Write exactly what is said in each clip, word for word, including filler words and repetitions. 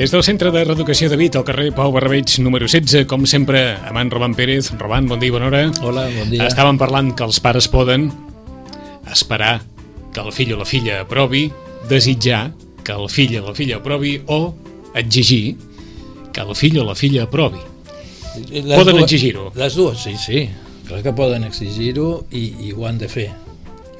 Des del Centre de Reeducació de Vic, al carrer Pau Barrabeig, número setze, com sempre, amb en Roman Pérez. Roman, bon dia, bona hora. Hola, bon dia. Estàvem parlant que els pares poden esperar que el fill o la filla aprovi, desitjar que el fill o la filla aprovi o exigir que el fill o la filla aprovi. Les poden exigir-ho. Les dues, sí, sí. Clar que poden exigir-ho i, i ho han de fer.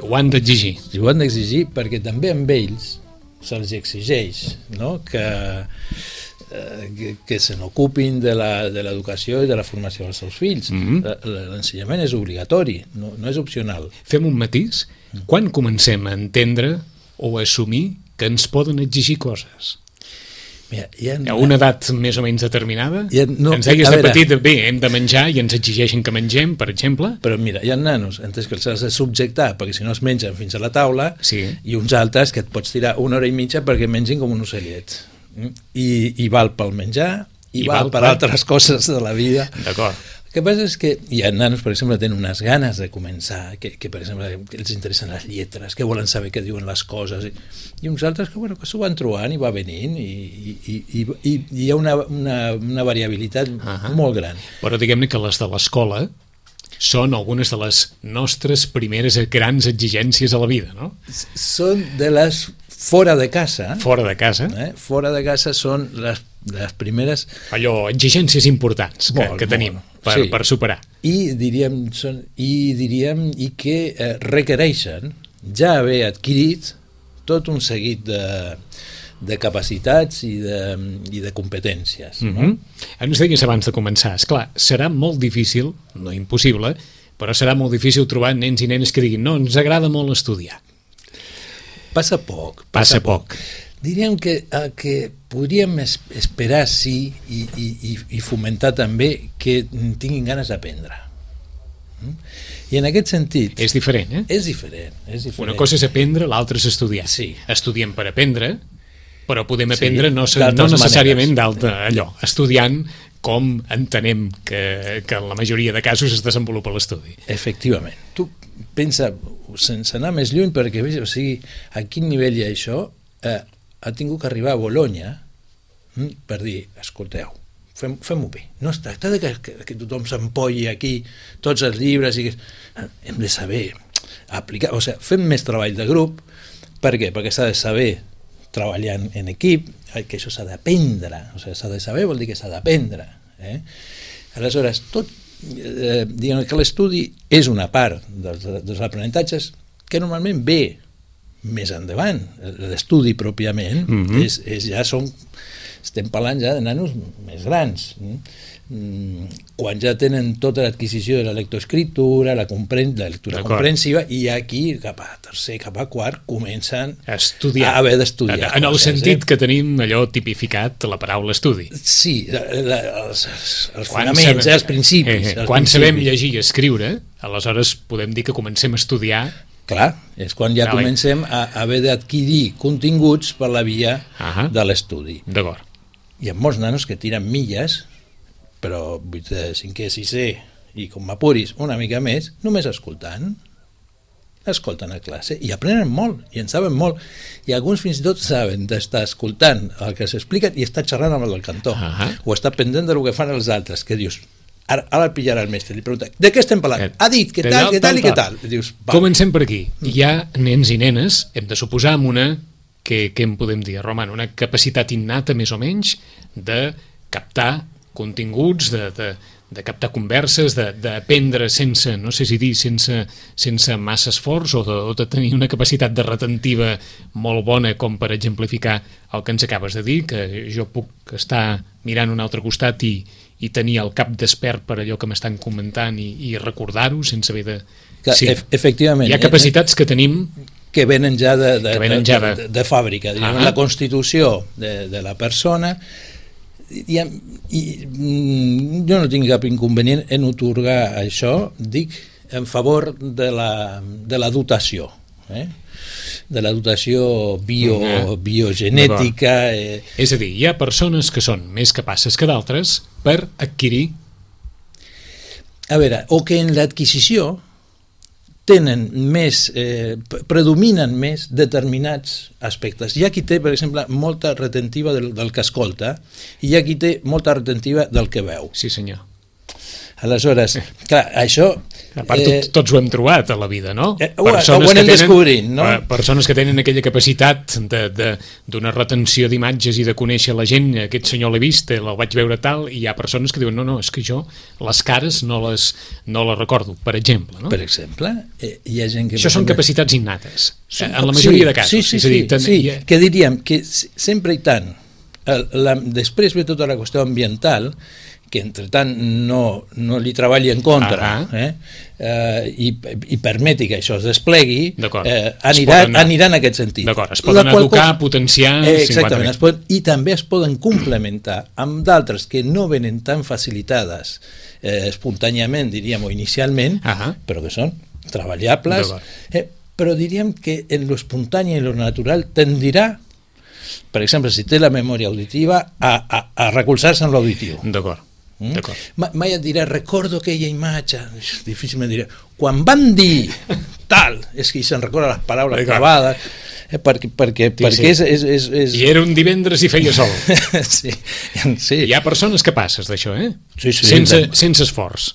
Ho han d'exigir. I ho han d'exigir perquè també amb ells se'ls exigeix, no? que, eh, que, que se n'ocupin de l'educació i de la formació dels seus fills. Mm-hmm. L'ensenyament és obligatori, no, no és opcional. Fem un matís. Quan comencem a entendre o a assumir que ens poden exigir coses? Mira, ha, a una edat més o menys determinada? Ha, no, ens deies de petit, bé, hem de menjar i ens exigeixen que mengem, per exemple? Però mira, hi ha nanos entès que els has de subjectar perquè si no es mengen fins a la taula, sí. I uns altres que et pots tirar una hora i mitja perquè mengin com un ocellet. I, i val pel menjar i, I val, val per, per altres coses de la vida. D'acord. El que passa és que hi ha nanos, per exemple, que tenen unes ganes de començar, que, que per exemple, que els interessen les lletres, que volen saber què diuen les coses, i, i uns altres que, bueno, que s'ho van trobant i va venint, i, i, i, i, i hi ha una, una, una variabilitat uh-huh. molt gran. Però diguem-ne que les de l'escola són algunes de les nostres primeres grans exigències a la vida, no? Són de les fora de casa. Fora de casa. Eh? Fora de casa són les, les primeres... Allò, exigències importants que, molt, que tenim per, sí. per superar. I diríem, són, i diríem i que eh, requereixen ja haver adquirit tot un seguit de, de capacitats i de, i de competències. Mm-hmm. No? Ens deies abans de començar, esclar, serà molt difícil, no impossible, però serà molt difícil trobar nens i nenes que diguin no, ens agrada molt estudiar. Passa poc. Passa, passa poc. poc. Diríem que, eh, que podríem es, esperar, sí, i, i, i fomentar també que tinguin ganes d'aprendre. Mm? I en aquest sentit... És diferent, eh? És diferent, és diferent. Una cosa és aprendre, l'altra és estudiar. Sí. Estudiem per aprendre, però podem aprendre sí, no, no necessàriament d'alta allò, estudiant com entenem que, que en la majoria de casos es desenvolupa l'estudi. Efectivament. Tu pensa, sense anar més lluny, perquè o sigui, a quin nivell hi ha això, eh, ha tingut que arribar a Bologna hm, per dir, escolteu, fem, fem-ho bé. No es tracta de que, que, que tothom s'empolli aquí tots els llibres i que hem de saber aplicar, o sigui, fem més treball de grup. Per què? Perquè s'ha de saber treballar en, en equip, que això s'ha d'aprendre, o sigui, s'ha de saber vol dir que s'ha d'aprendre. Eh? Aleshores, tot eh, diguem que l'estudi és una part dels, dels aprenentatges que normalment ve més endavant. L'estudi pròpiament mm-hmm. és, és ja són, estem parlant ja de nanos més grans, mm, quan ja tenen tota l'adquisició de la lectoescriptura, la, compren la lectura comprensiva, i aquí cap a tercer, cap a quart comencen a estudiar, a haver d'estudiar. En, en el coses, sentit eh? que tenim allò tipificat la paraula estudi. Sí, la, la, els, els fonaments, sabem, els principis. Eh, eh, els quan principis. sabem llegir i escriure, aleshores podem dir que comencem a estudiar. Clar, és quan ja Dale. comencem a haver d'adquirir continguts per la via uh-huh. de l'estudi. D'acord. Hi ha molts nanos que tiren milles, però vuitè, cinquè, sisè, i com m'apuris una mica més, només escoltant, escolten a classe, i aprenen molt, i en saben molt, i alguns fins i tot saben d'estar escoltant el que s'explica i estar xerrant amb el del cantó, uh-huh. o estar pendent del que fan els altres, que dius... Ara, ara el pillarà el mestre, li pregunta, de què estem parlant? Ha dit, què tal, què tal i què tal? Dius, comencem per aquí. Hi ha nens i nenes, hem de suposar amb una, que, que en podem dir, Roman, una capacitat innata més o menys de captar continguts, de, de, de captar converses, d'aprendre sense, no sé si dir, sense, sense massa esforç, o de, o de tenir una capacitat de retentiva molt bona, com per exemplificar el que ens acabes de dir, que jo puc estar mirant un altre costat i i tenir el cap despert per allò que m'estan comentant i, i recordar-ho sense haver de... Que, sí. e efectivament. Hi ha capacitats que tenim... Que venen ja de, de, venen de, ja de, de, de fàbrica, diguem, uh-huh. la constitució de, de la persona, i, i jo no tinc cap inconvenient en otorgar això, dic, en favor de la, de la dotació, eh? de la dotació bio, uh-huh. biogenètica. Eh. És a dir, hi ha persones que són més capaces que d'altres per adquirir... A veure, o que en l'adquisició tenen més, eh, predominen més determinats aspectes. Hi ha qui té, per exemple, molta retentiva del, del que escolta i hi ha qui té molta retentiva del que veu. Sí, senyor. Aleshores, clar, això... A part, eh, tot, tots ho hem trobat a la vida, no? Eh, ho, ho anem tenen, descobrint, no? Persones que tenen aquella capacitat d'una retenció d'imatges i de conèixer la gent, aquest senyor l'he vist, el vaig veure tal, i hi ha persones que diuen, no, no, és que jo les cares no les, no les recordo, per exemple, no? Per exemple, eh, hi ha gent que... Això són capacitats innates, són, en la majoria sí, de casos. Sí, sí, és a dir, sí, ten, sí, ha... que diríem que sempre i tant, el, la, després ve tota la qüestió ambiental, que entre tant no, no li treballi en contra, uh -huh. eh? Uh, i, i permeti que això es desplegui, eh, anirà, poden, anirà en aquest sentit. D'acord, es poden educar, cosa, potenciar... Eh, exactament, es poden, i també es poden complementar amb d'altres que no venen tan facilitades eh, espontàniament, diríem, o inicialment, uh -huh. però que són treballables, eh, però diríem que en lo espontani i lo natural tendirà, per exemple, si té la memòria auditiva, a, a, a recolzar-se en l'auditiu. D'acord. Mm? Mai et dirà, recordo aquella imatge, difícilment dirà, quan van dir tal, és que se'n recorda les paraules acabades, eh, perquè, perquè, sí, perquè sí. És, és, és, és... I era un divendres i feia sol. sí, sí. Hi ha persones capaces d'això, eh? Sí, sí, sense, sense esforç.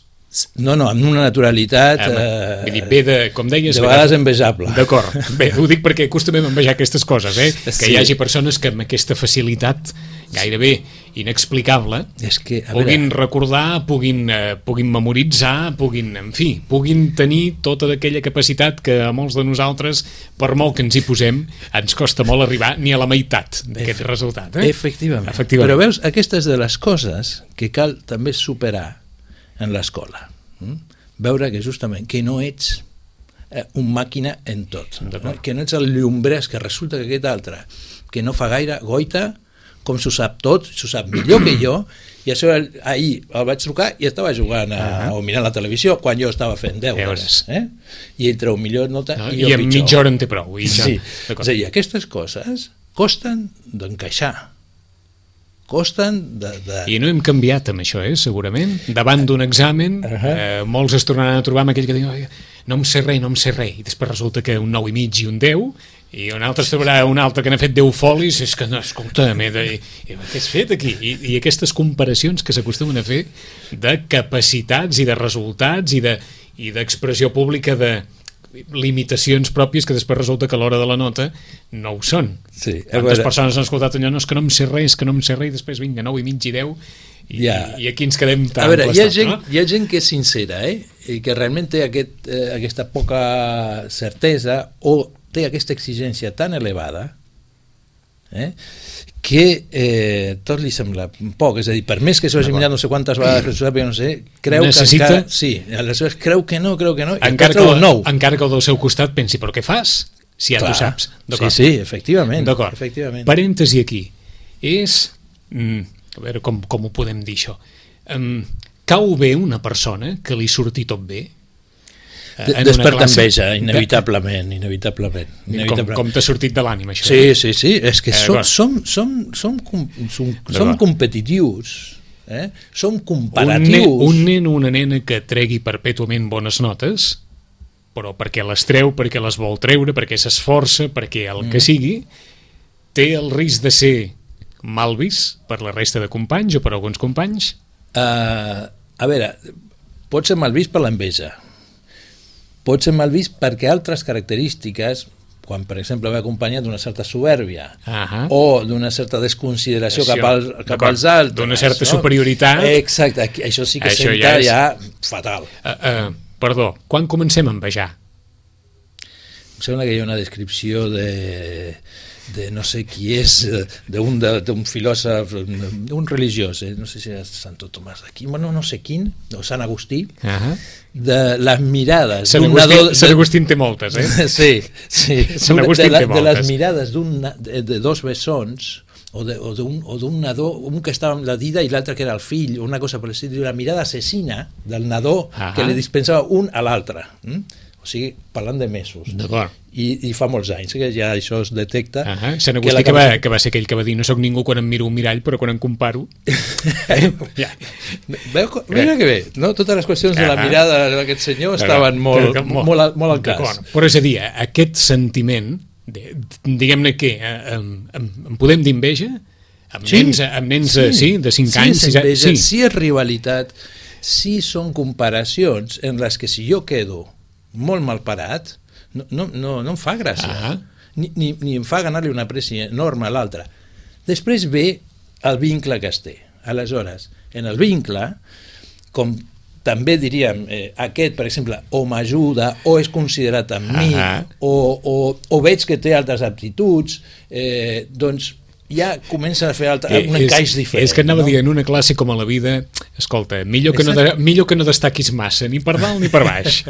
No, no, amb una naturalitat eh, eh, dir, ve de, com deies, de vegades envejable. D'acord, bé, ho dic perquè acostumem a envejar aquestes coses, eh? que sí. Hi hagi persones que amb aquesta facilitat gairebé inexplicable és que, puguin veure... recordar, puguin, eh, puguin memoritzar, puguin, en fi, puguin tenir tota aquella capacitat que a molts de nosaltres, per molt que ens hi posem, ens costa molt arribar ni a la meitat d'aquest Efe... resultat. Eh? Efectivament. Efectivament. Però veus, aquestes de les coses que cal també superar en l'escola. Mm? Veure que justament que no ets eh, un màquina en tot, no? Que no ets el llombrès, que resulta que aquest altre que no fa gaire goita, com s'ho sap tot, s'ho sap millor que jo, i això ahir el vaig trucar i estava jugant a, o mirant la televisió quan jo estava fent deures, eh? I ell treu millor nota no, i jo i en mitja hora en té prou. I ja... sí. És a dir, aquestes coses costen d'encaixar, costen de, de... I no hem canviat amb això, eh, segurament. Davant d'un examen, uh -huh. eh, molts es tornaran a trobar amb aquell que diuen no em sé res, no em sé res, i després resulta que un nou i mig i un deu, i un altre trobarà un altre que n'ha fet deu folis, és que no, escolta, de, i, i, què has fet aquí? I, i aquestes comparacions que s'acostumen a fer de capacitats i de resultats i de i d'expressió pública de limitacions pròpies que després resulta que a l'hora de la nota no ho són. Sí, quantes persones han escoltat allò, no, és que no em sé res, és que no em sé res, i després vinga, nou i mig i deu, i, ja. i aquí ens quedem tan a veure, hi ha, gent, no? hi ha gent que és sincera, eh? I que realment té aquest, eh, aquesta poca certesa o té aquesta exigència tan elevada, eh? que eh, tot li sembla poc, és a dir, per més que s'ho hagi mirat no sé quantes vegades, no sé, creu necessita... que encara, sí, aleshores creu que no, creu que no, encara que, el, nou. encara que el del seu costat pensi, però què fas? Si ja Clar. tu saps. Sí, sí, efectivament. D'acord. Efectivament. Parèntesi aquí. És... Mm, a veure com, com ho podem dir això. Um, cau bé una persona que li surti tot bé? Desperta enveja, inevitablement, inevitablement. inevitablement. Com, com t'ha sortit de l'ànima, això? Sí, sí, sí, és que eh, som, som, som, som, som, som competitius, eh? Som comparatius. Un nen, un nen o una nena que tregui perpètuament bones notes, però perquè les treu, perquè les vol treure, perquè s'esforça, perquè el que sigui, té el risc de ser mal vist per la resta de companys o per alguns companys? Uh, a veure, pot ser mal vist per l'enveja, pot ser mal vist perquè altres característiques, quan per exemple ve acompanyat d'una certa soberbia uh -huh. o d'una certa desconsideració cap, al, cap als altres, d'una certa no? superioritat, exacte, això sí que això senta ja, és... ja fatal. Uh, uh, perdó, quan comencem a envejar? Em sembla que hi ha una descripció de... de no sé qui és, d'un filòsof, un religiós, eh? No sé si és Santo Tomàs d'Aquí, bueno, no sé quin, o Sant Agustí, uh -huh. de les mirades... Sant Agustí, de... Sant Agustí en té moltes, eh? Sí, sí. Sant Agustí de, en té moltes. De les mirades de, de dos bessons, o d'un nadó, un que estava amb la dida i l'altre que era el fill, una cosa per l'estil, la mirada assassina del nadó uh -huh. que li dispensava un a l'altre, hm? O sigui, parlant de mesos. D'acord. i, i fa molts anys que ja això es detecta. Uh -huh. Sant Agustí, que, que, va, que va ser aquell que va dir no sóc ningú quan em miro un mirall, però quan em comparo... eh? ja. Veu, mira que bé, no? Totes les qüestions de la mirada d'aquest senyor estaven molt, que, que, molt, molt, al, molt al cas. Però és a dir, aquest sentiment, de, diguem-ne que em, em, em podem dir enveja amb sí, nens, amb nens sí, sí, de cinc sí, anys, sis anys, sí. Si és rivalitat, si són comparacions en les que si jo quedo molt mal parat, no, no, no, no em fa gràcia. Ah. Ni, ni, ni em fa ganar-li una pressió enorme a l'altre. Després ve el vincle que es té. Aleshores, en el vincle, com també diríem, eh, aquest, per exemple, o m'ajuda, o és considerat amb mi, ah. o, o, o veig que té altres aptituds, eh, doncs ja comença a fer altre, eh, un encaix diferent. És que anava no? a dir, en una classe com a la vida, escolta, millor que, no de, millor que no destaquis massa, ni per dalt ni per baix.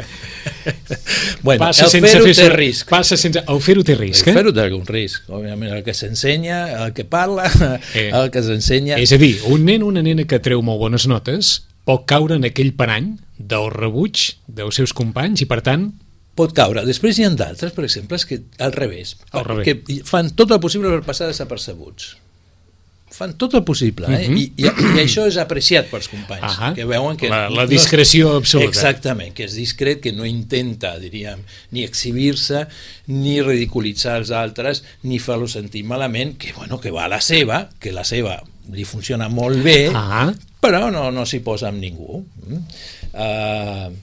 Bueno, passa el sense fer-ho fer té risc. Passa sense, el fer-ho té risc, el eh? fer-ho té algun risc. Òbviament, el que s'ensenya, el que parla, eh. el que s'ensenya... És a dir, un nen o una nena que treu molt bones notes pot caure en aquell parany del rebuig dels seus companys i, per tant, pot caure. Després hi ha d'altres, per exemple, que al revés, al revés, que fan tot el possible per passar desapercebuts. Fan tot el possible, eh? Uh-huh. I, i, i això és apreciat pels companys, uh-huh. que veuen que... La, la discreció no és, absoluta. Exactament, que és discret, que no intenta, diríem, ni exhibir-se, ni ridiculitzar els altres, ni fer-los sentir malament, que, bueno, que va a la seva, que la seva li funciona molt bé, uh-huh. però no, no s'hi posa amb ningú. Uh,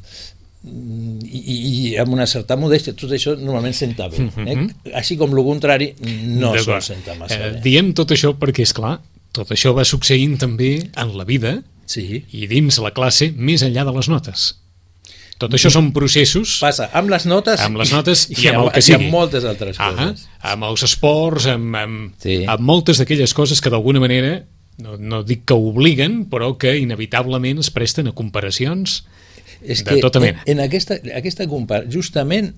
I, i amb una certa modèstia, tot això normalment senta bé, eh? Així com el contrari no sol sentar massa bé. Eh, diem tot això perquè, és clar, tot això va succeint també en la vida, sí, i dins la classe més enllà de les notes. Tot això són processos... Passa amb les notes, amb les notes i, i, amb, amb el que sigui. I amb moltes altres ah, coses. Amb els esports, amb, amb, sí. amb moltes d'aquelles coses que d'alguna manera, no, no dic que obliguen, però que inevitablement es presten a comparacions és de tota mena. En, en aquesta, aquesta comparació, justament,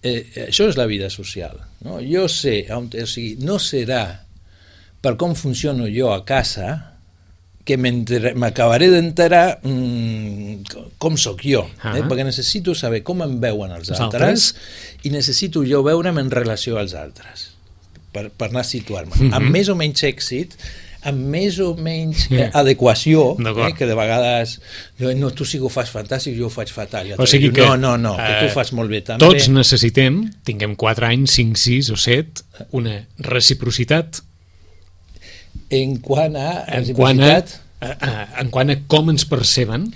eh, això és la vida social. No? Jo sé, o sigui, no serà per com funciono jo a casa que m'acabaré d'enterar mmm, com sóc jo, uh-huh. eh? Perquè necessito saber com em veuen els, els altres, altres i necessito jo veure'm en relació als altres per, per anar a situar-me. Uh-huh. Amb més o menys èxit, amb més o menys eh, adequació, eh, que de vegades no, tu sí que ho fas fantàstic, jo ho faig fatal. O sigui diu, que, no, no, no, que tu ho fas molt bé també. Tots necessitem, tinguem quatre anys, cinc, sis o set, una reciprocitat en quant a en quant a, a, a, en quant a com ens perceben,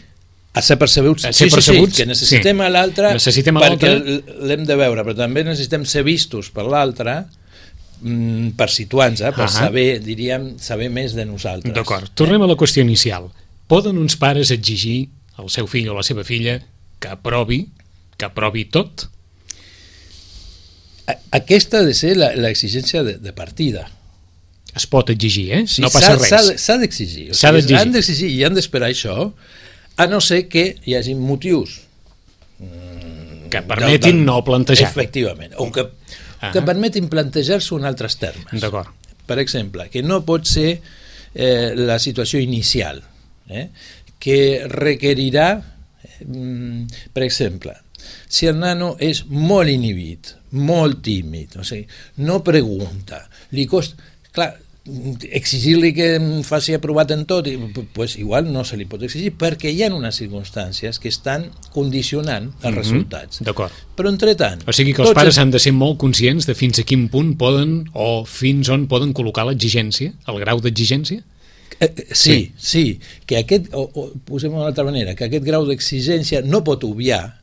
a ser percebuts, a ser sí, percebuts sí, sí, que necessitem sí. a l'altre perquè l'hem de veure, però també necessitem ser vistos per l'altre per situar-nos, eh, per uh-huh. saber, diríem, saber més de nosaltres. D'acord, tornem a la qüestió inicial. Poden uns pares exigir al seu fill o la seva filla que aprovi, que aprovi tot? Aquesta ha de ser l'exigència de, de partida. Es pot exigir, eh? Sí, no passa res. S'ha d'exigir. O s'ha sigui, d'exigir. Han d'exigir i han d'esperar això, a no ser que hi hagi motius que permetin del, no plantejar. Efectivament. O que que permetin plantejar-se en altres termes. D'acord. Per exemple, que no pot ser eh, la situació inicial, eh, que requerirà, eh, per exemple, si el nano és molt inhibit, molt tímid, o sigui, no pregunta, li costa... Clar, exigir-li que faci aprovat en tot, pues igual no se li pot exigir perquè hi ha unes circumstàncies que estan condicionant els mm-hmm. resultats. D'acord. Però entretant... O sigui que els pares han de ser molt conscients de fins a quin punt poden o fins on poden col·locar l'exigència, el grau d'exigència? Eh, sí, sí, sí, que aquest, o, o posem-ho d'una altra manera, que aquest grau d'exigència no pot obviar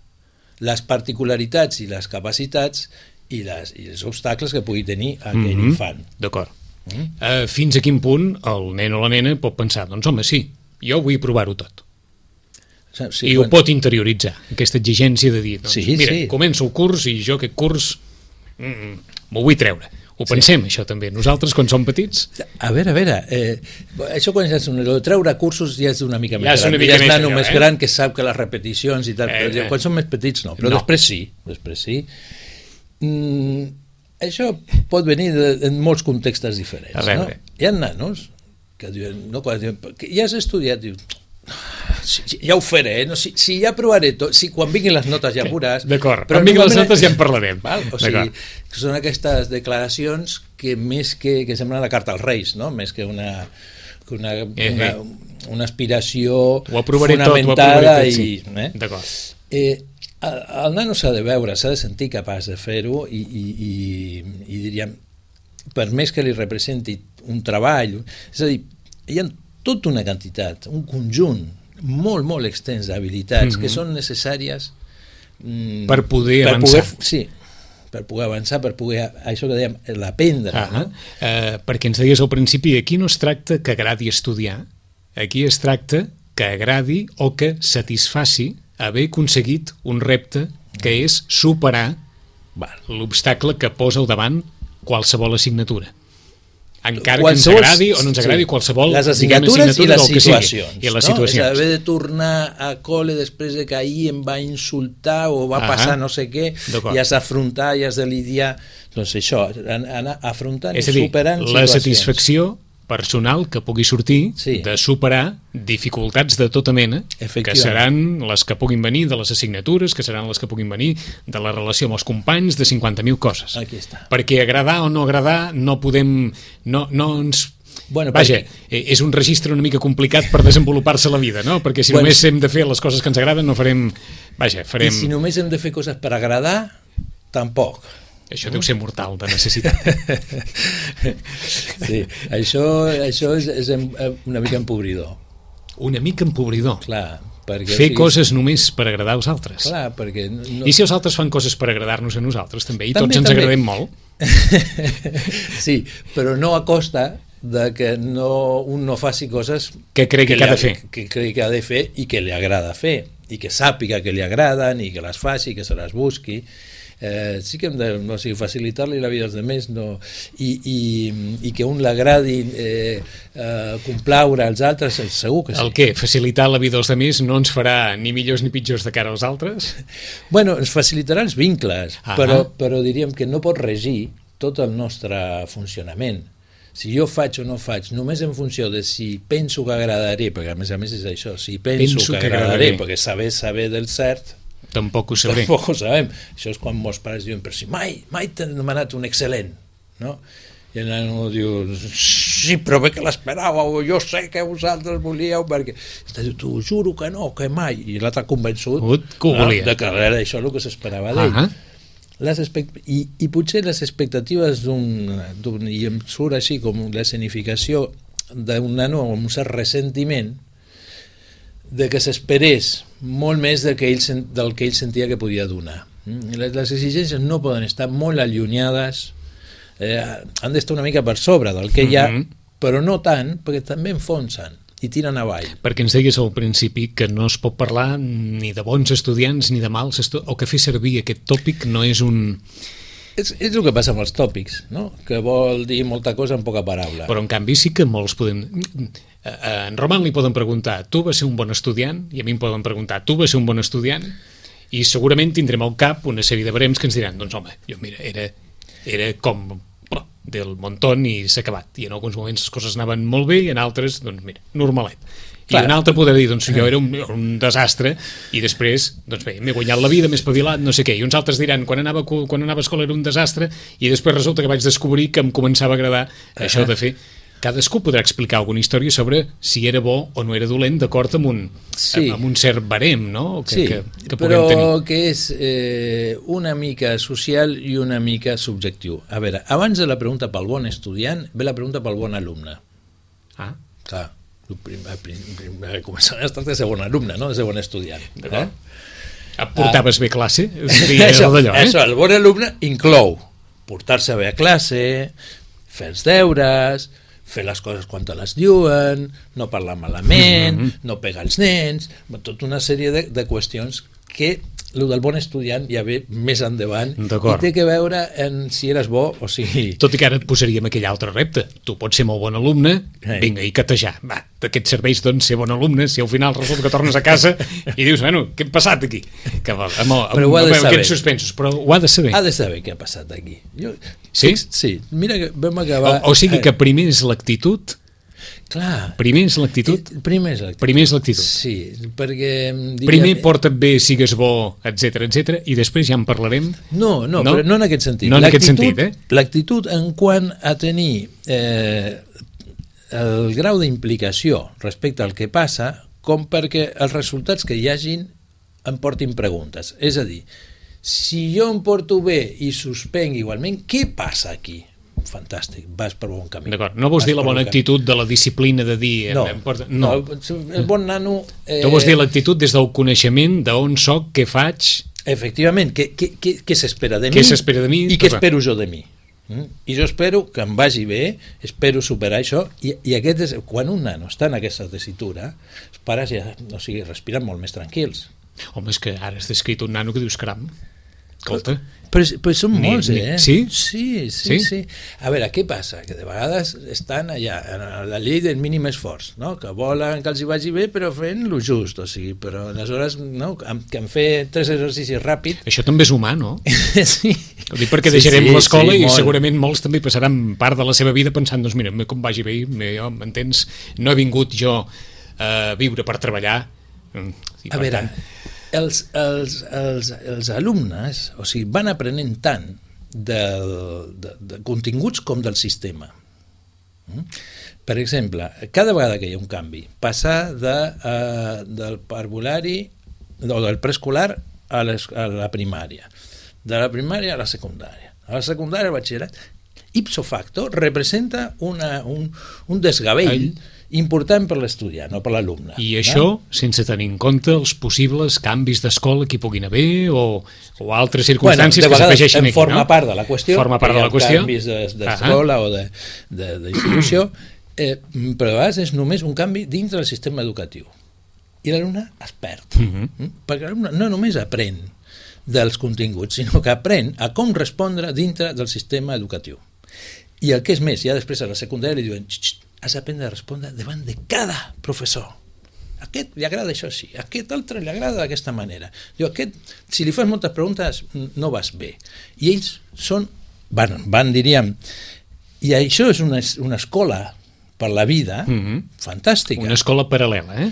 les particularitats i les capacitats i, les, i els obstacles que pugui tenir aquell mm-hmm. infant. D'acord. Mm. Uh, fins a quin punt el nen o la nena pot pensar, doncs home, sí, jo vull provar-ho tot. Sí, I quan... ho pot interioritzar, aquesta exigència de dir, doncs, sí, mira, sí. començo el curs i jo aquest curs mm, m'ho vull treure. Ho pensem, sí. Això també. Nosaltres, quan som petits... A veure, a veure, eh, això quan és un... treure cursos ja és una mica més ja gran. Mica ja és més nano allò, més eh? gran que sap que les repeticions i tal, eh, però eh. quan som més petits no, però no. després sí, després sí. Mm, això pot venir de, en molts contextes diferents. No? Hi ha nanos que diuen, no, quan diuen, que ja has estudiat, diu, si, ja ho faré, eh? no, si, si ja provaré tot, si quan vinguin les notes ja veuràs. D'acord, quan vinguin les notes ja en parlarem. Val? O sigui, són aquestes declaracions que més que, que semblen la carta als Reis, no? Més que una, una, eh, una, una aspiració fonamentada tot, tot, sí. i... Eh? D'acord. Eh, el, el nano s'ha de veure, s'ha de sentir capaç de fer-ho i, i, i, i diríem, per més que li representi un treball, és a dir, hi ha tota una quantitat, un conjunt molt, molt extens d'habilitats mm-hmm. que són necessàries mm, per poder per avançar. Poder, sí, per poder avançar, per poder, això que dèiem, l'aprendre. Ah, no? eh, perquè ens deies al principi, aquí no es tracta que agradi estudiar, aquí es tracta que agradi o que satisfaci haver aconseguit un repte que és superar l'obstacle que posa al davant qualsevol assignatura. Encara qualsevol, que ens agradi o no ens agradi, sí, qualsevol les assignatures i les situacions, i les no? situacions. És haver de tornar a col·le després de que ahir em va insultar o va ah passar no sé què, i has d'afrontar i has de lidiar, doncs això, anar afrontant i superant situacions. És a dir, la satisfacció personal que pugui sortir sí. de superar dificultats de tota mena, que seran les que puguin venir de les assignatures, que seran les que puguin venir de la relació amb els companys, de cinquanta mil coses. Aquí està. Perquè agradar o no agradar no podem... No, no ens... Bueno, Vaja, perquè... és un registre una mica complicat per desenvolupar-se la vida, no? Perquè si bueno, només hem de fer les coses que ens agraden no farem... Vaja, farem... I si només hem de fer coses per agradar, tampoc. Això deu ser mortal, de necessitat. Sí, això, això és, és una mica empobridor. Una mica empobridor? Clar. Perquè, fer o sigui, coses només per agradar als altres. Clar, perquè... No... I si els altres fan coses per agradar-nos a nosaltres, també, i també, tots ens també. agradem molt. Sí, però no a costa de que no, un no faci coses que cregui que, que ha de fer. Que cregui que ha de fer i que li agrada fer, i que sàpiga que li agraden, i que les faci, que se les busqui. Eh, sí que hem de no, o sigui, facilitar-li la vida als altres, no, i, i, i que un l'agradi eh, eh, complaure als altres, segur que sí. El què? Facilitar la vida als altres no ens farà ni millors ni pitjors de cara als altres? Bueno, ens facilitarà els vincles, ah però, però diríem que no pot regir tot el nostre funcionament. Si jo faig o no faig, només en funció de si penso que agradaré, perquè a més a més és això, si penso, penso que, que agradaré, agradaré, perquè saber saber del cert, tampoc ho sabré. Tampoc ho sabem. Això és quan molts pares diuen, però si mai, mai t'han demanat un excel·lent, no? I el nano diu, sí, però bé que l'esperàveu, jo sé que vosaltres volíeu, perquè... Diu, t'ho juro que no, que mai. I l'altre convençut que no, de que era això el que s'esperava d'ell. Ah les expect... I, I potser les expectatives d'un... I em surt així com l'escenificació d'un nano amb un cert ressentiment de que s'esperés molt més del que, ell, del que ell sentia que podia donar. Les, les exigències no poden estar molt allunyades, eh, han d'estar una mica per sobre del que hi ha, mm-hmm. però no tant, perquè també enfonsen i tiren avall. Perquè ens deies al principi que no es pot parlar ni de bons estudiants ni de mals estudiants, o que fer servir aquest tòpic no és un... És, és el que passa amb els tòpics, no? Que vol dir molta cosa en poca paraula. Però en canvi sí que molts podem... A en Roman li poden preguntar, tu vas ser un bon estudiant? I a mi em poden preguntar, tu vas ser un bon estudiant? I segurament tindrem al cap una sèrie de barems que ens diran, doncs home, jo mira, era, era com oh, del montón i s'ha acabat. I en alguns moments les coses anaven molt bé i en altres, doncs mira, normalet. I Clar. Un altre podrà dir, doncs jo era un, un desastre i després, doncs bé, m'he guanyat la vida, m'he espavilat, no sé què. I uns altres diran, quan anava, quan anava a escola era un desastre i després resulta que vaig descobrir que em començava a agradar uh-huh. això de fer... Cadascú podrà explicar alguna història sobre si era bo o no era dolent d'acord amb, un, sí. amb un cert barem, no? Que, sí, que, que però tenir. Que és eh, una mica social i una mica subjectiu. A veure, abans de la pregunta pel bon estudiant, ve la pregunta pel bon alumne. Ah. Clar, començant a tractar de ser bon alumne, no de ser bon estudiant. Eh? Portaves ah. bé classe? Seria això, d'allò, eh? Això, el bon alumne inclou portar-se bé a classe, fer els deures, fer les coses quan te les diuen, no parlar malament, mm-hmm. no pegar els nens, tota una sèrie de, de qüestions que el del bon estudiant ja ve més endavant i té que veure en si eres bo o si... Tot i que ara et posaríem aquell altre repte. Tu pots ser molt bon alumne, hey. vinga, i catejar. Va, d'aquests serveis, doncs, ser bon alumne, si al final resulta que tornes a casa i dius, bueno, què ha passat aquí? Que, amb, amb, amb, però ho ha de saber. Aquests suspensos, però ho ha de saber. Ha de saber què ha passat aquí. Jo, sí? Sí, mira que vam acabar... O, o sigui que primer és l'actitud Clar. Primer és l'actitud? Primer és l'actitud. Primer és l'actitud. Sí, perquè... Diria... Primer porta't bé, sigues bo, etcètera, etcètera, i després ja en parlarem. No, no, no? però no en aquest sentit. No en aquest sentit, eh? L'actitud en quant a tenir eh, el grau d'implicació respecte al que passa, com perquè els resultats que hi hagin em portin preguntes. És a dir, si jo em porto bé i suspenc igualment, què passa aquí? Fantàstic, vas per bon camí. D'acord, no vols vas dir la bona actitud de la disciplina de dir... No, em porta... no. no, el bon nano... Eh... Tu vols dir l'actitud des del coneixement d'on soc, què faig... Efectivament, què, què, què, què s'espera de mi, què s'espera de mi i què espero jo de mi. Mm? I jo espero que em vagi bé, espero superar això, i, i aquest és, quan un nano està en aquesta tessitura, els pares ja, o sigui, respiren molt més tranquils. Home, és que ara has descrit un nano que dius, caram, escolta... Però, però són ni, molts, eh? Ni, sí? Sí, sí, sí, sí. A veure, què passa? Que de vegades estan allà, en la llei del mínim esforç, no? Que volen que els hi vagi bé, però fent lo just, o sigui, però aleshores, no? Que en fer tres exercicis ràpid... Això també és humà, no? Sí. Ho dic perquè deixarem sí, sí, l'escola sí, i segurament molts també passaran part de la seva vida pensant, doncs mira, com vagi bé, jo, m'entens? No he vingut jo a viure per treballar. I, a veure... Tant, Els, els, els, els alumnes, o sigui, van aprenent tant del, de, de continguts com del sistema. Per exemple, cada vegada que hi ha un canvi, passar de, uh, del parvulari o del preescolar a, a la primària, de la primària a la secundària, a la secundària al batxillerat, ipso facto representa una, un, un desgavell All... important per l'estudiant, no per l'alumne. I això no? Sense tenir en compte els possibles canvis d'escola que hi puguin haver o, o altres circumstàncies bueno, que s'afegeixin aquí, forma no? part de la qüestió, forma part de la qüestió. Canvis d'escola o d'institució, eh, però a vegades és només un canvi dintre del sistema educatiu. I l'alumne es perd. Uh -huh. Perquè l'alumne no només aprèn dels continguts, sinó que aprèn a com respondre dintre del sistema educatiu. I el que és més, ja després a la secundària li diuen has d'aprendre a respondre davant de cada professor. A aquest li agrada això sí, a aquest altre li agrada d'aquesta manera. Diu, aquest, si li fas moltes preguntes no vas bé. I ells són, van, van diríem, i això és una, una escola per la vida, mm-hmm. fantàstica. Una escola paral·lela, eh?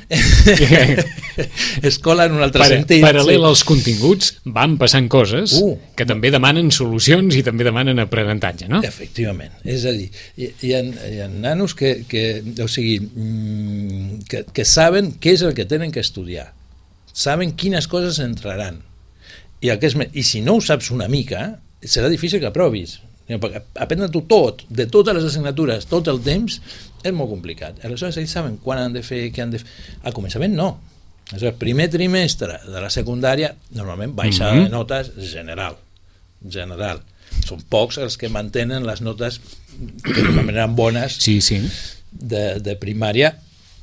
Escola en un altre Para, sentit. Paral·lela sí. Als continguts van passant coses uh, que també demanen solucions i també demanen aprenentatge, no? Efectivament. És a dir, hi, hi, ha, hi ha nanos que, que, o sigui, que, que saben què és el que tenen que estudiar. Saben quines coses entraran. I, el que és, i si no ho saps una mica, serà difícil que aprovis. Perquè aprendre-t'ho tot, de totes les assignatures, tot el temps, és molt complicat. Aleshores, ells saben quan han de fer, què han de fer. Al començament, no. Aleshores, primer trimestre de la secundària, normalment baixada mm-hmm. de notes general. General. Són pocs els que mantenen les notes que normalment eren bones sí, sí. De, de primària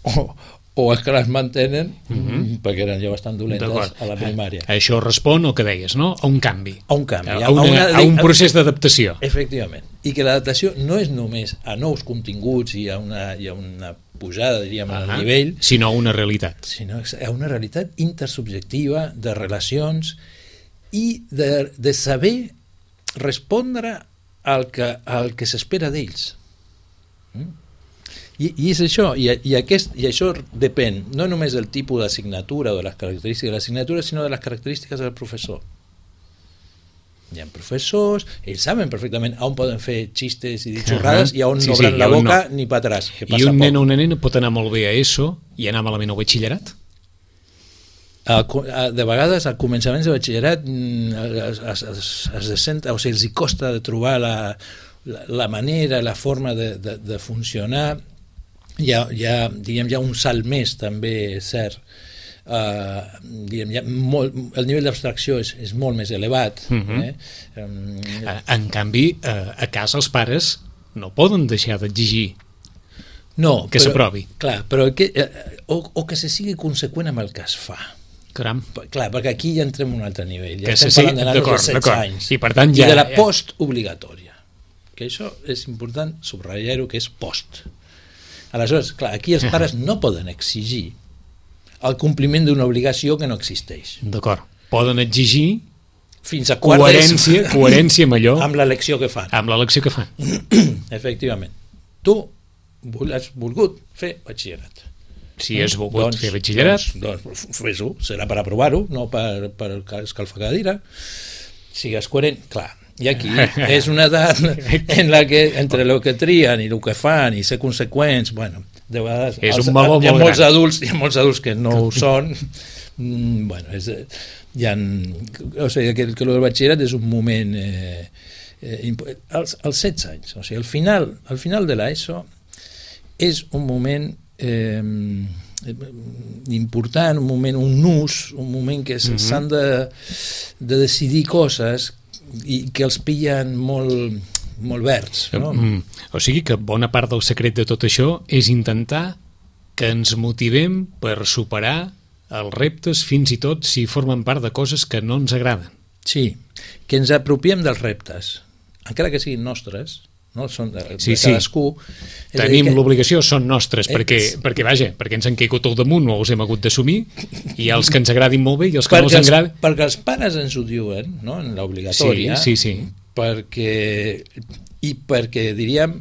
o, o els que les mantenen mm-hmm. perquè eren ja bastant dolentes a la primària. A això respon el que deies, no? A un canvi. A un canvi. A, una, a, una, a un procés d'adaptació. Efectivament. I que l'adaptació no és només a nous continguts i a una, i a una pujada, diríem, al uh-huh. nivell, sinó a una realitat. Sinó a una realitat intersubjectiva de relacions i de, de saber respondre al que, al que s'espera d'ells. Mm? I, i és això, i, i, aquest, i això depèn no només del tipus d'assignatura o de les característiques de l'assignatura, sinó de les característiques del professor. Hi ha professors, ells saben perfectament on poden fer xistes i dir xorrades uh-huh. i on sí, no obren sí, la boca no. ni pa atrás. Que I un nen o una nena pot anar molt bé a ESO i anar malament al batxillerat? De vegades al començament de batxillerat es, es, es, es sent, o sigui, els hi costa de trobar la, la, la manera, la forma de, de, de funcionar. Hi ha, hi ha, diguem, hi ha un salt més també, és cert. Uh, diguem, hi ha molt, el nivell d'abstracció és, és molt més elevat. Uh-huh. eh? um, en canvi, uh, a casa els pares no poden deixar d'exigir no, que s'aprovi. Clar, però que, eh, o, o que se sigui conseqüent amb el que es fa. Caram. Clar, perquè aquí ja entrem a un altre nivell. Ja que estem sí, parlant de nanos de setze anys. I, per tant, ja, I de la ja... postobligatòria. Que això és important subratllar-ho, que és post. Aleshores, clar, aquí els pares no poden exigir el compliment d'una obligació que no existeix. D'acord. Poden exigir fins a coherència, quarts, coherència amb allò, amb l'elecció que fan. Amb l'elecció que fan. Efectivament. Tu has volgut fer batxillerat. Si has volgut doncs, fer batxillerat... Doncs, doncs fes-ho, serà per aprovar-ho, no per, per escalfar cadira. Sigues coherent, clar. I aquí és una edat en la que entre el que trien i el que fan i ser conseqüents, bueno, de vegades és els, un meló hi ha molt molts gran. adults, hi ha molts adults que no ho són. Mm, bueno, és, hi ha, o sigui, que, que el del batxillerat és un moment eh, eh, als, als setze anys, o sigui, al final, al final de l'ESO és un moment eh, important, un moment, un nus, un moment que mm-hmm. s'han de, de decidir coses i que els pillen molt, molt verds, no? Mm. O sigui que bona part del secret de tot això és intentar que ens motivem per superar els reptes, fins i tot si formen part de coses que no ens agraden. Sí, que ens apropiem dels reptes, encara que siguin nostres, no? Són de, sí, de cadascú. Sí. Tenim que... l'obligació, són nostres, eh, perquè, perquè, vaja, perquè ens han caigut al damunt o els hem hagut d'assumir, i els que ens agradin molt bé i els que perquè no els agradin... Els, perquè els pares ens ho diuen, no?, en l'obligatòria, sí, sí, sí. perquè, i perquè, diríem,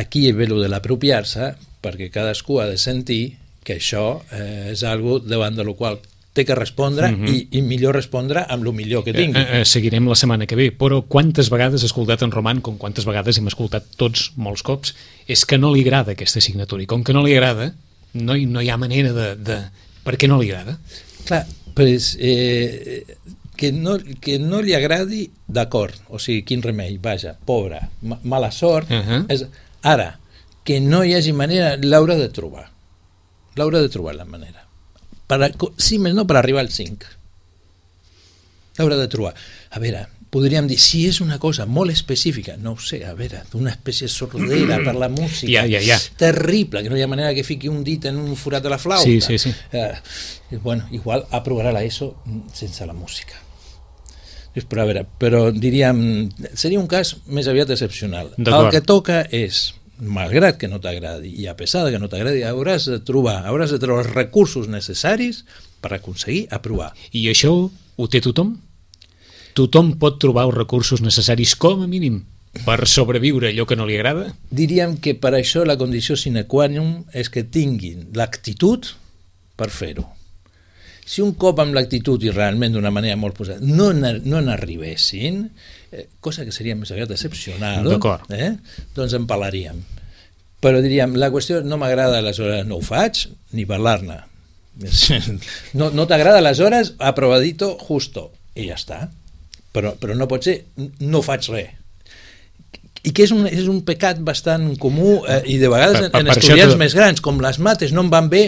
aquí ve lo de l'apropiar-se, perquè cadascú ha de sentir que això eh, és algo davant de lo qual té que respondre mm-hmm. i, i millor respondre amb el millor que tingui. Eh, eh, seguirem la setmana que ve, però quantes vegades he escoltat en Roman, com quantes vegades hem escoltat tots molts cops, és que no li agrada aquesta assignatura, i com que no li agrada, no hi, no hi ha manera de, de... Per què no li agrada? Clar, pues, eh, que, no, que no li agradi, d'acord, o sigui, quin remei, vaja, pobre, ma, mala sort, uh-huh. és, ara, que no hi hagi manera, l'haurà de trobar, l'haurà de trobar la manera. Per a, sí, més no per arribar al cinc. L'haurà de trobar. A veure, podríem dir, si és una cosa molt específica, no ho sé, a veure, una espècie de sordera per la música, ja, ja, ja. terrible, que no hi ha manera que fiqui un dit en un forat de la flauta. Sí, sí, sí. Eh, bueno, igual aprovarà l'ESO sense la música. Però, a veure, però diríem, seria un cas més aviat excepcional. El que toca és, malgrat que no t'agradi i a pesar de que no t'agradi, hauràs de trobar hauràs de trobar els recursos necessaris per aconseguir aprovar. I això ho té tothom? Tothom pot trobar els recursos necessaris com a mínim per sobreviure allò que no li agrada? Diríem que per això la condició sine qua non és que tinguin l'actitud per fer-ho. Si un cop amb l'actitud i realment d'una manera molt posada no, no n'arribessin, eh, cosa que seria més aviat excepcional, eh, doncs en parlaríem. Però diríem, la qüestió no m'agrada, aleshores no ho faig, ni parlar-ne. No, no t'agrada, aleshores aprovadito justo, i ja està. Però, però no pot ser, no faig res. I que és un, és un pecat bastant comú eh, i de vegades per, per, en estudiants tot... més grans, com les mates no em van bé,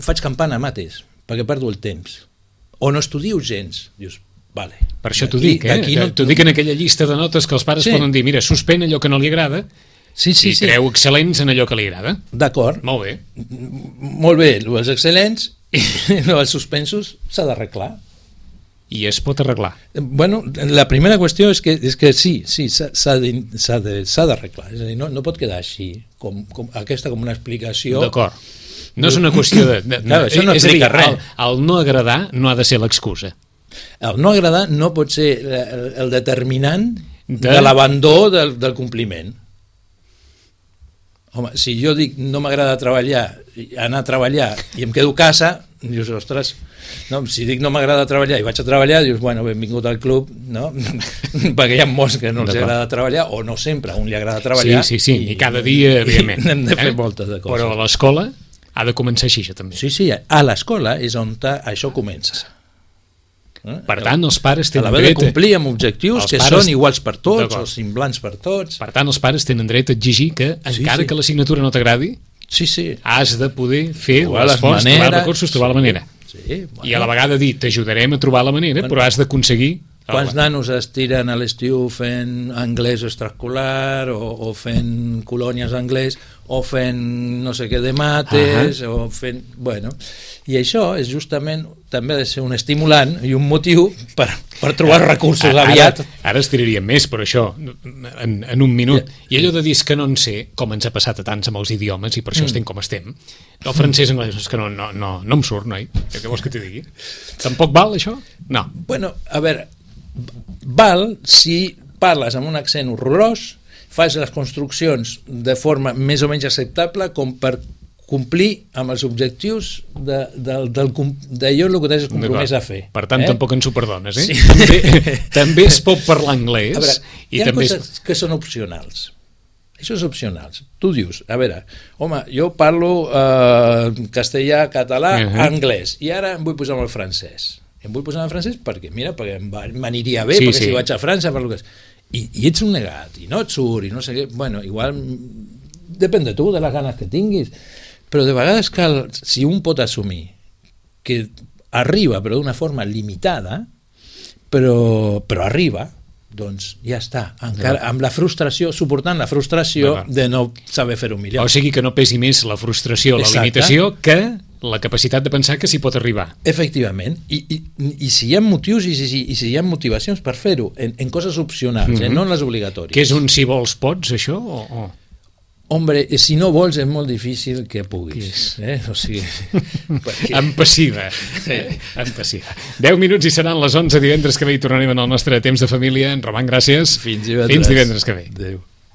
faig campana a mates perquè perdo el temps, o no estudio gens, dius, vale. Per això t'ho dic, eh? No... T'ho dic en aquella llista de notes que els pares sí. poden dir, mira, suspèn allò que no li agrada sí, sí, i sí. creu excel·lents en allò que li agrada. D'acord. Molt bé. Molt bé, els excel·lents i els suspensos s'ha d'arreglar. I es pot arreglar. Bueno, la primera qüestió és que, és que sí, sí, s'ha d'arreglar. És a dir, no, no pot quedar així, com, com, aquesta com una explicació... D'acord. No és una qüestió de... de claro, això no explica res. El, el no agradar no ha de ser l'excusa. El no agradar no pot ser el, el determinant de, de l'abandó del, del compliment. Home, si jo dic no m'agrada treballar, anar a treballar i em quedo a casa, dius, ostres, no, si dic no m'agrada treballar i vaig a treballar, dius, bueno, benvingut al club, no? Perquè hi ha molts que no els agrada treballar, o no sempre, a un li agrada treballar. Sí, sí, sí, i, i cada dia, evidentment. Hem de fer eh? moltes de coses. Però a l'escola ha de començar així, això també. Sí, sí, a l'escola és on això comença. Per tant, els pares tenen dret... A dret... de complir amb objectius que pares... són iguals per tots, o semblants per tots. Per tant, els pares tenen dret a exigir que, sí, encara sí. que l'assignatura no t'agradi, sí, sí. has de poder fer l'esforç, trobar els recursos, trobar sí. la manera. Sí, bueno. I a la vegada dir, t'ajudarem a trobar la manera, bueno. però has d'aconseguir... Quants nanos es tiren a l'estiu fent anglès extraescolar o, o fent colònies anglès o fent no sé què de mates uh -huh. o fent... Bueno, i això és justament també ha de ser un estimulant i un motiu per, per trobar ara, recursos ara, aviat. Ara, ara estiraríem més, però això en, en un minut. I allò de dir que no en sé, com ens ha passat a tants amb els idiomes i per això mm. estem com estem. El francès anglès és que no, no, no, no em surt, noi. Què vols que t'hi digui? Tampoc val això? No. Bueno, a veure, val si parles amb un accent horrorós fas les construccions de forma més o menys acceptable com per complir amb els objectius de, de, del, d'allò el que t'has compromès a fer. Per tant, eh? tampoc ens ho perdones, eh? Sí. També, també es pot parlar anglès. A veure, i hi ha també coses es... que són opcionals. Això és opcional. Tu dius, a veure, home, jo parlo eh, castellà, català, uh -huh. anglès, i ara em vull posar amb el francès. Em vull posar amb el francès perquè, mira, perquè m'aniria bé, sí, perquè sí. si vaig a França parlo que... I, i ets un negat, i no et surt, i no sé què... Bueno, igual... Depèn de tu, de les ganes que tinguis. Però de vegades cal, si un pot assumir que arriba, però d'una forma limitada, però, però arriba, doncs ja està, encara amb la frustració, suportant la frustració de no saber fer-ho millor. O sigui que no pesi més la frustració, la Exacte. limitació, que la capacitat de pensar que s'hi pot arribar. Efectivament, i, i, i si hi ha motius i si, i si hi ha motivacions per fer-ho, en, en coses opcionals, mm-hmm. eh, no en les obligatòries. Que és un si vols pots, això? O, o? Hombre, si no vols és molt difícil que puguis. Eh? O sigui, perquè... En passiva. Sí. En passiva. deu minuts i seran les onze divendres que ve i tornarem en el nostre temps de família. En Roman, gràcies. Fins divendres. Fins divendres que ve. Adéu.